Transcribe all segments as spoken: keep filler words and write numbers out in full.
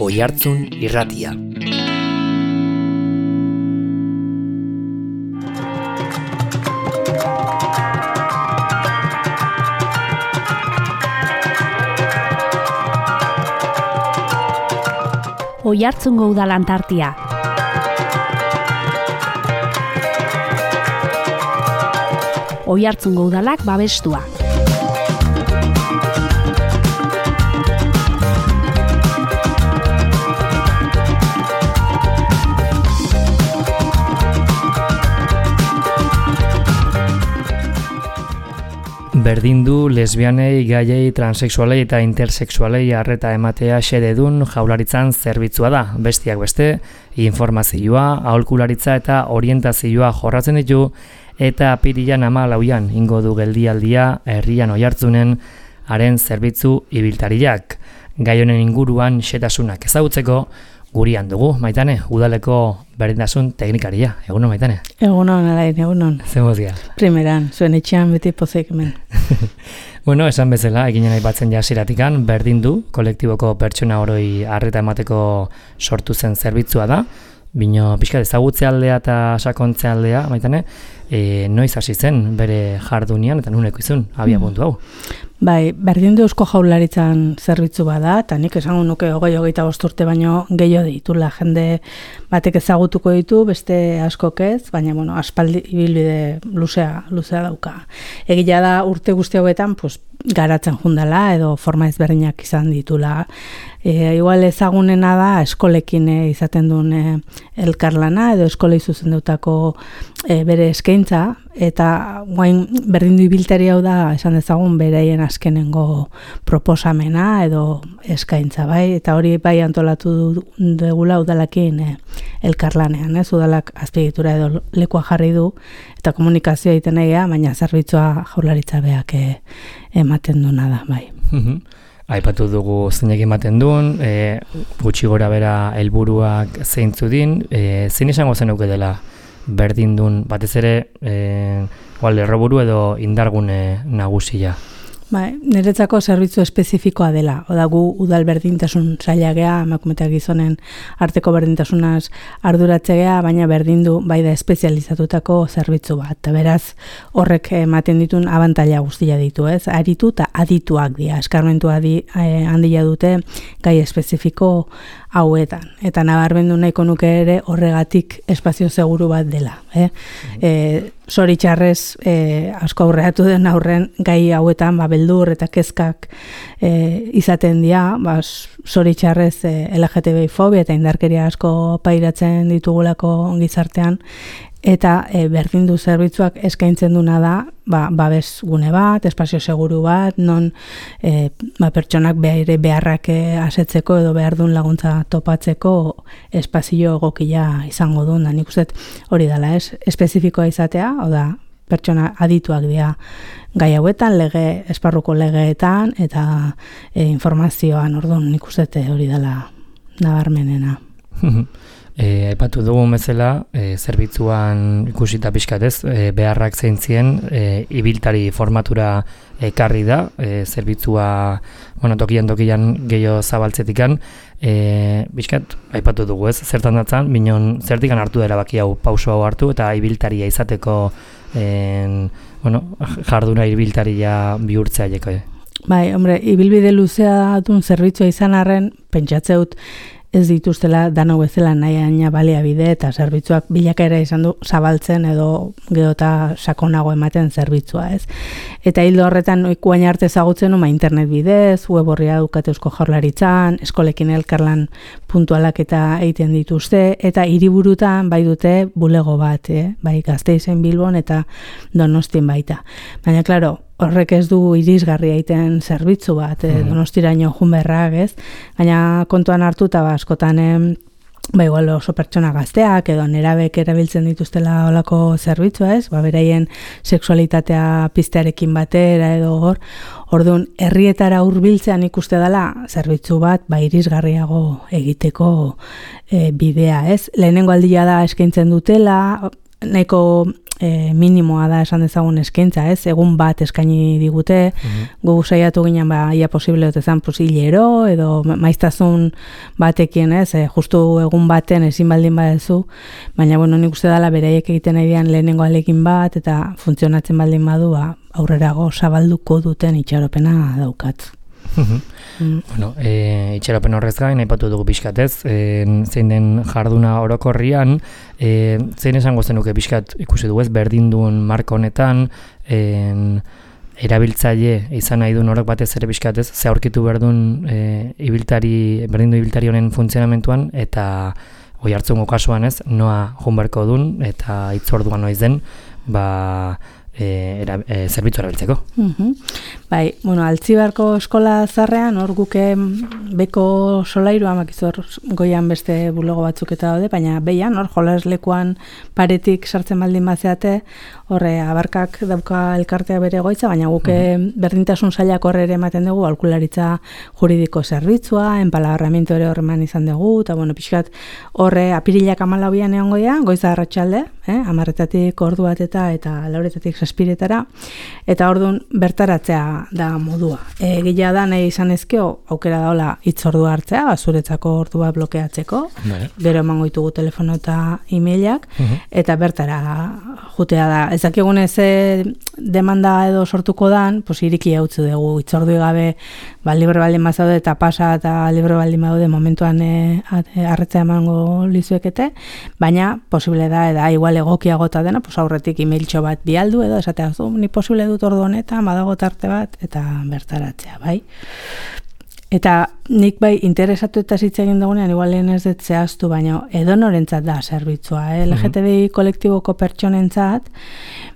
Oihartzun Irratia. Oihartzungo Udalan tartia. Oihartzungo Udalak babestua. Berdin du lesbianei, gaiei, transexualei eta intersexualei arreta ematea xededun jaularitzan zerbitzua da. Bestiak beste, informazioa, aholkularitza eta orientazioa jorratzen ditu eta apirilan hamalauan ingo du geldialdia herrian Oihartzunen haren zerbitzu ibiltariak. Gai honen inguruan xetasunak ezagutzeko gurian dugu, Maitane, udaleko berdintasun teknikaria. Egunon, Maitane? Egunon, alain, egunon. Zemozia. Primeran, zuen etxean beti pozik hemen. Bueno, esan bezala, eginen aipatzen jasiratikan, berdin du, kolektiboko pertsona oroi arreta emateko sortu zen zerbitzua da, bino pixka ezagutze aldea eta sakontze aldea, Maitane, e, noiz hasi zen bere jardunian eta nuneko izun, abia puntu hau. Bai, berdin du Eusko Jaurlaritzan zerbitzu bada, eta nik esango nuke hogei hogeita bost urte baino gehiago ditula, jende batek ezagutuko ditu, beste askok ez, baina bueno, aspaldi ibilbide luzea, luzea dauka. Egia da urte guzti hauetan, pues, garatzen jundala edo forma ezberdinak izan ditula. E, igual ezagunena da eskolekin e, izaten duen e, elkarlana edo eskolei zuzendutako e, bere eskaintza, eta guain berdin du ibiltari hau da esan dezagun bereien azkenengo proposamena edo eskaintza, bai, eta hori bai antolatu dugula udalakin e, elkarlanean, ez, udalak azpiegitura edo lekua jarri du eta komunikazioa egiten egia, baina zerbitzua Jaurlaritza beak e, ematen duna da, bai. Aipatu dugu zeinek ematen duen, e, gutxi gora bera helburuak zeintzu din, e, zein esango zenuke dela berdin duen, batez ere, e, lerroburu edo indargune nagusia? Bai, niretzako zerbitzu espezifikoa dela. Oda gu udal berdintasun sailagea, emakumeak gizonen arteko berdintasunaz arduratzea, baina berdindu bai da espezializatutako zerbitzu bat. Eta beraz, horrek ematen ditun abantaila guztia ditu, ez? Aritu eta adituak dira. Eskarmentu adi, eh, handia dute gai espezifiko hauetan. Eta nabarmendu nahiko nuke ere horregatik espazio seguru bat dela. Eh? Mm-hmm. E, Zoritxarrez e, asko aurreatu den aurren gai hauetan ba, beldur eta kezkak e, izaten dira, ba, zoritxarrez e, L G T B I fobia eta indarkeria asko pairatzen ditugulako gizartean, eta e, berdindu zerbitzuak eskaintzen duna da ba, babes gune bat, espazio seguru bat, non e, ba, pertsonak bere beharrak asetzeko edo behar duen laguntza topatzeko espazio egokia izango duen. Nik uste hori dela, ez? Espezifikoa izatea, hau da, pertsona adituak dira gai hauetan, lege, esparruko legeetan eta e, informazioan, orduan nik uste hori dela nabarmenena. E, aipatu dugun bezala, e, zerbitzuan ikusita pixkatez, e, beharrak zeintzien, e, ibiltari formatura ekarri da, e, zerbitzua, bueno, tokian tokian gehiago zabaltzetikan, e, pixkat, aipatu dugu ez, zertan datzan, minon zertikan hartu dela baki hau, pauso hau hartu, eta ibiltaria izateko, en, bueno, jarduna ibiltaria bihurtzea jeko. Bai, hombre, ibilbide luzea duen zerbitzua izan arren, pentsatzeut, ez dituztela dano bezala nahi aina baliabide eta zerbitzuak bilakaera izan du zabaltzen edo gero eta sakonago ematen zerbitzua, ez. Eta hildo horretan ikuain arte ezagutzen uma internet bidez, web horria dukate Eusko Jaurlaritzan, eskolekin elkarlan puntualak eta egiten dituzte, eta hiriburutan bai dute bulego bat, eh? Bai Gasteizen, Bilbon eta Donostin baita. Baina, klaro, horrek ez du irisgarria egiten zerbitzu bat, eh, Donostiraino joan beharrak, ez? Gaina kontuan hartu eta askotan ba igual oso pertsona gazteak edo nerabek erabiltzen dituztela olako zerbitzua, ez? Ba beraien sexualitatea piztearekin batera edo hor, orduan herrietara hurbiltzean ikuste dela zerbitzu bat ba irisgarriago egiteko e, bidea, ez? Lehenengo aldia da eskaintzen dutela, nahiko e, minimoa da esan dezagun eskaintza, ez? Egun bat eskaini digute, mm-hmm. gu saiatu ginen ba ia posible otezan pues hilero edo maiztasun batekin, ez? E, justu egun baten ezin baldin badezu, baina bueno, nik uste dela beraiek egiten ari dian lehenengo alekin bat eta funtzionatzen baldin badu, ba aurrerago zabalduko duten itxaropena daukat. Mm. Bueno, e, itxaropen horrez gain, aipatu dugu pixkatez, e, zein den jarduna orokorrian, e, zein esango zenuke pixkat ikusi dugu ez, berdindun marko honetan, e, erabiltzaile izan nahi duen horok batez ere pixkatez, ze aurkitu berdun e, ibiltari, berdindu ibiltari honen funtzionamentuan, eta oi hartzungo kasuan ez, noa junberko dun, eta itzorduan noiz den, ba... E, era, e, zerbitzu erabiltzeko. Uh-huh. Bai, bueno, Altzibarko eskola zarrean, hor guke beko solairu amakizor goian beste bulego batzuk eta daude, baina behian, hor jolaslekuan paretik sartzen baldin bazeate, horre abarkak dauka elkartea bere goitza, baina guke uh-huh. berdintasun sailak horre ere ematen dugu, aholkularitza juridiko zerbitzua, enpalagarramiento ere horreman izan dugu, eta bueno, pixkat horre apirilak amalauian egon goia, goiza arratsalde, eh, amarretatik ordu bat eta eta lauretatik zazpiretara, eta orduan bertaratzea da modua. E, Gila da nahi izan ezkeo, aukera daola hitzordua hartzea, zuretzako ordua blokeatzeko, Bale. Gero emango ditugu telefono eta e-mailak, uh-huh. eta bertara jutea da. Ez dakigun ez demanda edo sortuko dan, pues iriki hautzu dugu, hitzordu gabe, ba, libre baldin bazaude eta pasa eta libre baldin badaude momentuan e, arretzea emango lizuekete, baina posible da, eda igual egokiagota dena, pues aurretik e-mailtxo bat bialdu edo esatea, zu, ni posible dut ordu honetan, badago tarte bat, eta bertaratzea, bai? Eta nik bai interesatu eta hitz egin dugunean, igual lehen ez dut zehaztu, baina edonorentzat da zerbitzua, eh? L G T B I kolektiboko pertsonentzat,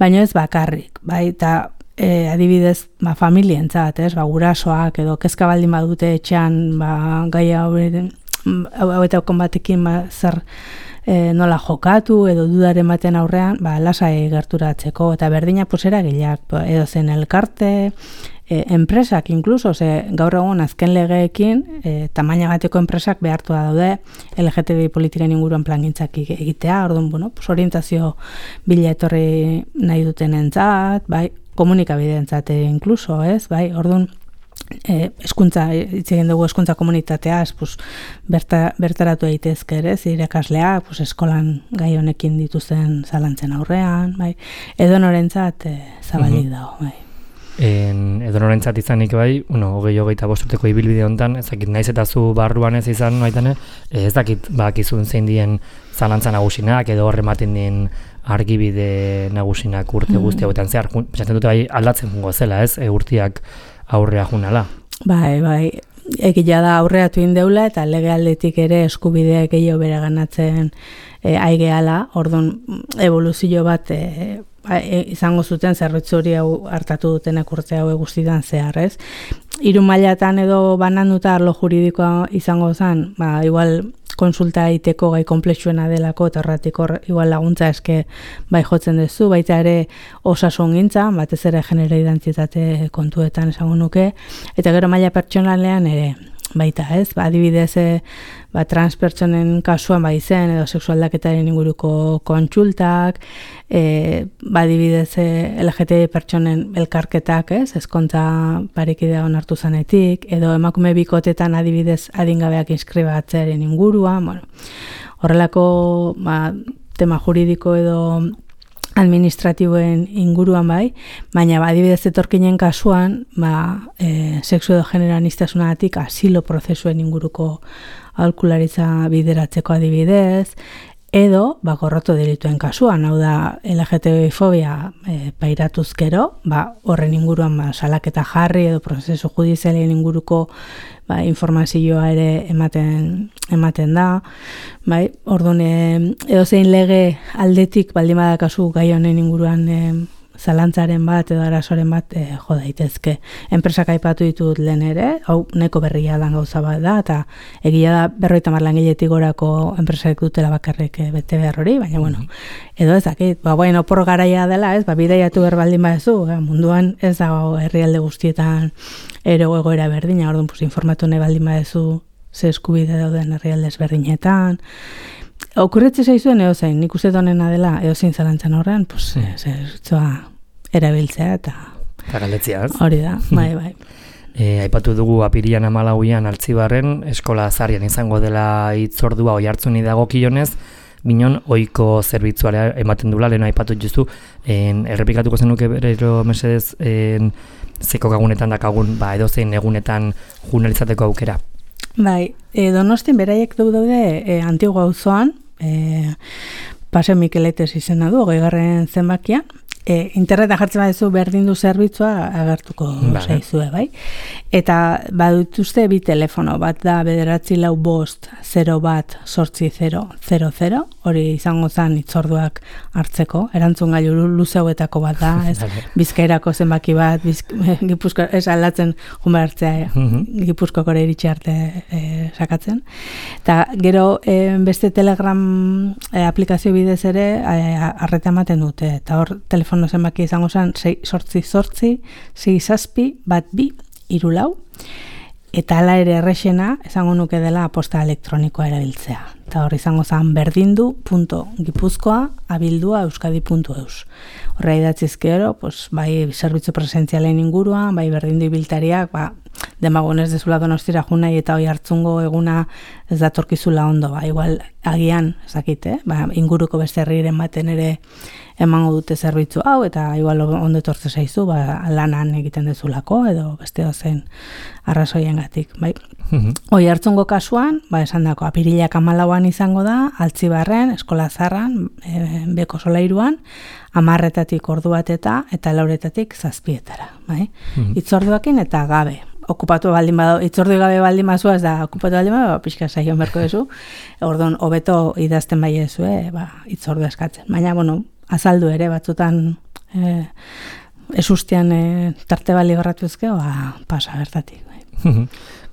baina ez bakarrik, bai? Eta e, adibidez, ba, familientzat, ez? Ba, gurasoak edo kezka baldin badute etxean, ba, gai hau eta konbatekin ba, zer E, nola jokatu edo dudaren baten aurrean, ba, lasai gerturatzeko, eta berdina posera gileak, edo zen elkarte, e, enpresak inkluso, ze gaur egun azken legeekin, e, tamainagateko enpresak behartua daude L G T B I politiken inguruan plangintzak egitea, orduan, bueno, pues orientazio bila etorri nahi duten entzat, bai, komunikabideentzat inkluso, ez, bai, orduan, E, eskuntza, hitz egin dugu eskuntza komunitateaz, pues, berta, bertaratu daitezke ere, irakasleak, pues, eskolan gai honekin dituzten zalantzen aurrean, bai, edo norentzat e, zabalik uh-huh. dago, bai. En, edo norentzat izanik bai, bueno, hogei hogeita bostuteko ibilbide honetan, ez dakit naiz eta zu barruan ez izan, baitane, ez dakit bakizun zein dien zalantza nagusinak, edo horrematen dien argibide nagusinak urte mm. guzti hauetan zehar, pentsatzen dute bai aldatzen jungo zela, ez, e, urtiak aurrea junala. Bai, bai, egia da aurreatu indeula eta legealdetik ere eskubideak gehiago bere ganatzen e, aigeala, orduan evoluzio bat e, e, izango zuten zerbitzu hori hau hartatu dutenak urte hau guztietan zehar, ez? Hiru mailatan edo bananduta arlo juridikoa izango zen, ba, igual konsulta egiteko gai komplexuena delako, eta horretik hor igual laguntza eske bai jotzen duzu, baita ere osasun gintza, batez ere genero identitate kontuetan esango nuke, eta gero maila pertsonalean ere baita, ez? Ba, adibidez, ba, transpertsonen kasuan bai zen, edo sexualdaketaren inguruko kontsultak, e, ba, adibidez, L G T B pertsonen elkarketak, ez? Ezkontza parekidea onartu zanetik, edo emakume bikotetan adibidez adingabeak inskribatzearen inguruan, bueno, horrelako ba, tema juridiko edo administratiboen inguruan bai, baina ba, adibidez etorkinen kasuan, ba, e, sexu edo genero aniztasunagatik asilo prozesuen inguruko aholkularitza bideratzeko adibidez, edo ba, gorroto delituen kasuan, hau da L G T B fobia e, pairatuzkero, ba, horren inguruan ba, salaketa jarri edo prozesu judizialen inguruko ba, informazioa ere ematen, ematen da, bai, orduan edo zein lege aldetik baldin badakazu gai honen inguruan e, zalantzaren bat edo arazoren bat e, jo daitezke. Enpresak aipatu ditut lehen ere, hau neko berria dan gauza bat da, eta egia da berroita mar langiletik gorako enpresak dutela bakarrik e, bete behar hori, baina bueno, edo ez dakit, ba, bueno, opor garaia dela, ez, ba, bidaiatu behar baldin badezu, e, munduan ez dago herrialde guztietan ero egoera berdina, orduan pues, informatu nahi baldin badezu ze eskubide dauden herrialde ezberdinetan, Okurretze zaizuen eozein, nik uste donena dela eozein zalantzan horrean, pues, mm. zerbitzua erabiltzea eta... Eta galdetzea, ez? Hori da, bai, bai. E, aipatu dugu apirian amalauian Altzibarren, eskola zarrian izango dela hitzordua oihartzuni dagokionez, binon ohiko zerbitzuara ematen dula, lehen aipatu justu, en, errepikatuko zenuke berero mesedez en, zeko gagunetan dakagun, ba, edozein egunetan junalizateko aukera. Bai, e, Donostin beraiek du daude e, Antigua auzoan, e, Paseo Mikeletes izena du, hogeigarren zenbakia, E, interneta jartzen baduzu berdindu zerbitzua agertuko zaizue, bai? Eta badutuzte bi telefono, bat da bederatzi lau bost, zero bat, sortzi zero, zero zero, hori izango zen hitzorduak hartzeko, erantzun gailu luze hauetako bat da, ez Bizkairako zenbaki bat, bizk, Gipuzko, ez aldatzen jumbe hartzea, Gipuzkoko iritsi arte e, sakatzen. Eta gero e, beste Telegram e, aplikazio bidez ere arreta ematen dute, eta hor telefono no zenbaki izango zen, sortzi sortzi, sei zazpi, bat bi, hiru lau, eta ala ere errexena, esango nuke dela posta elektronikoa erabiltzea. Eta hor izango zen berdindu punto gipuzkoa abildua euskadi punto eus. Horra idatzizke ero, pues, bai zerbitzu presentzialen inguruan, bai berdindu ibiltariak, ba, demagonez dezula Donostira junai eta hoi hartzungo eguna ez datorkizula ondo, ba, igual agian, ezakite, ba, inguruko beste herriren baten ere emango dute zerbitzu hau, eta igual ondo etortze zaizu, ba, lanan egiten dezulako, edo beste ozen arrazoiengatik, bai. Hoi hartzungo kasuan, ba, esan dako, apirilak amalauan izango da, Altzibarren, eskola zarran, e, beko solairuan, amarretatik ordu bateta, eta lauretatik zazpietara, bai. Itzorduakin eta gabe. Okupatu baldin bado, itzordu gabe baldin bazua, ez da, okupatu baldin bado, pixka saion berko dezu, orduan, hobeto idazten bai ezu, eh, ba, itzordu eskatzen. Baina, bueno, azaldu ere, batzutan eh, esustian eh, tarte bali garratu ezke, ba, pasa bertatik.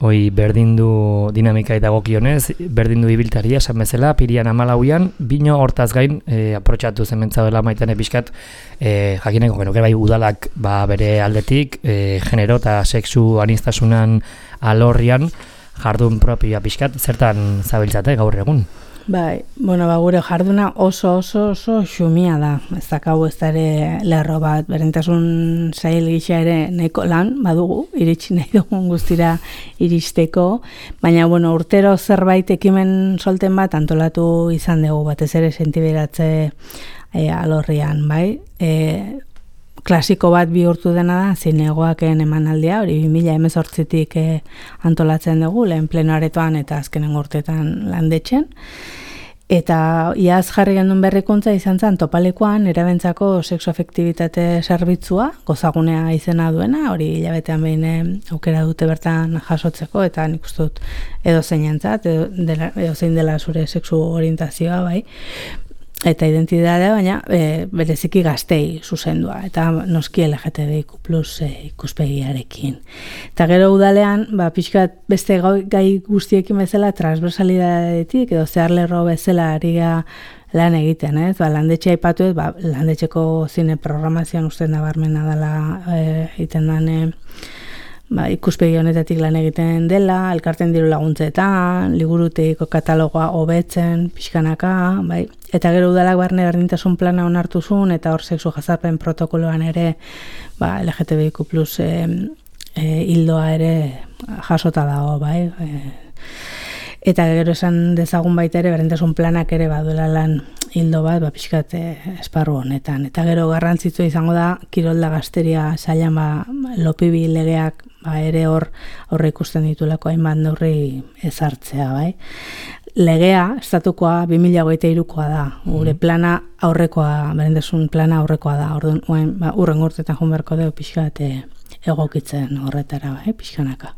Hoi berdindu dinamika dagokionez, berdindu ibiltaria, esan bezala, pirian amalauian, bino hortaz gain, e, aprotxatu zementza dela maitane pixkat, e, jakineko genuke bai udalak ba, bere aldetik, e, genero eta sexu aniztasunan alorrian, jardun propioa pixkat, zertan zabiltzate gaur egun? Bai, bueno, ba, gure jarduna oso oso oso xumia da. Ez dakau ez da ere lerro bat, berdintasun sail gisa ere nahiko lan badugu, iritsi nahi dugun guztira iristeko, baina bueno, urtero zerbait ekimen solten bat antolatu izan dugu, batez ere sentiberatze e, alorrian, bai? E, klasiko bat bihurtu dena da, zinegoaken emanaldia, hori bi mila hemezortzitik e, antolatzen dugu, lehen pleno aretoan eta azkenen urtetan landetxen. Eta iaz jarri gendun berrikuntza izan zen topalekoan erabentzako sexoafektibitate zerbitzua, gozagunea izena duena, hori hilabetean behin aukera dute bertan jasotzeko, eta nik uste dut edo zeinentzat, edo, dela, edo zein dela zure sexu orientazioa, bai, eta identitatea, baina e, bereziki gaztei zuzendua, eta noski L G T B I Q plus e, ikuspegiarekin. Eta gero udalean, ba, pixkat beste gai guztiekin bezala transversalidadetik, edo zehar lerro bezala ari lan egiten, ez? Ba, landetxe aipatu ez, ba, landetxeko zine programazioan uste nabarmena dela e, egiten dane, ba, ikuspegi honetatik lan egiten dela, elkarten diru laguntzetan, liburuteiko katalogoa hobetzen, pixkanaka, bai. Eta gero udalak barne berdintasun plana onartu zuen, eta hor sexu jazarpen protokoloan ere, ba, L G T B I Q plus e, e, hildoa ere jasota dago, bai. E, eta gero esan dezagun baita ere, berdintasun planak ere baduela lan hildo bat, ba, pixkat e, esparru honetan. Eta gero garrantzitsua izango da, kirolda gazteria zailan, ba, lopibi legeak, ba, ere hor aurre ikusten ditulako hainbat neurri ezartzea, bai. Legea, estatukoa, bi mila hogeita hirukoa da. Gure plana aurrekoa, berdintasun plana aurrekoa da. Orduan, ba, urren urtetan joan beharko dugu pixkat egokitzen horretara, bai, pixkanaka.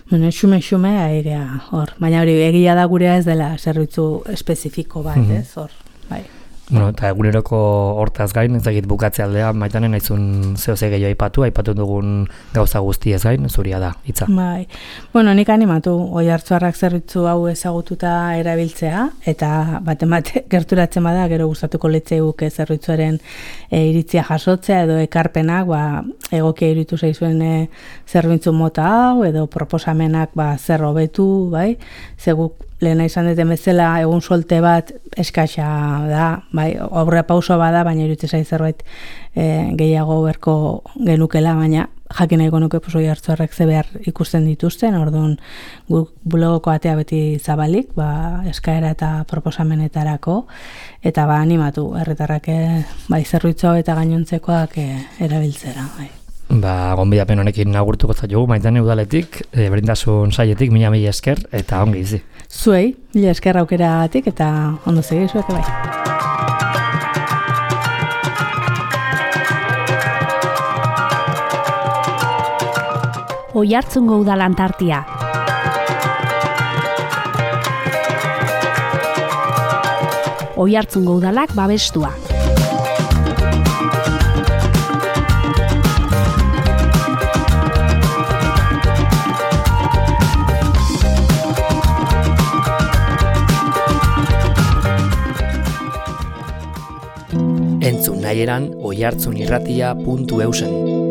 Bueno, xume-xume airea hor. Baina hori egia da gurea ez dela zerbitzu espezifiko bat, ez, hor, bai. Bueno, eta eguneroko hortaz gain, ez dakit bukatze aldean, maitanen naizun zehose gehiago aipatu, aipatu dugun gauza guztiez gain, zuria da, hitza. Bai, bueno, nik animatu, oi hartzuarrak zerbitzu hau ezagututa erabiltzea, eta bat-emate gerturatzen bada, gero gustatuko litzaigu zerbitzuaren e, iritzia jasotzea, edo ekarpenak, ba, egokia iritu zaizuen e, zerbitzu mota hau, edo proposamenak ba, zer hobetu, bai, zeguk lehena izan duten bezala egun solte bat eskaxa da, bai, aurrea pauso bada, baina iruditzen zait zerbait e, gehiago berko genukela, baina jakin nahiko nuke oi hartzuarrek ze behar ikusten dituzten, orduan guk blogoko atea beti zabalik, ba, eskaera eta proposamenetarako, eta ba, animatu, herritarrak bai, zerbitzu eta gainontzekoak e, erabiltzera, bai. Ba, gonbidapen honekin agurtuko zaitugu, Maitane udaletik, e, berdintasun saietik, mila mila esker, eta ongi izi. Zuei, mila esker aukeratik, eta ondo segi zuek bai. Oiartzungo Udal Antartia. Oiartzungo Udalak babestua. Entzun nahieran oiartzunirratia puntu eusen.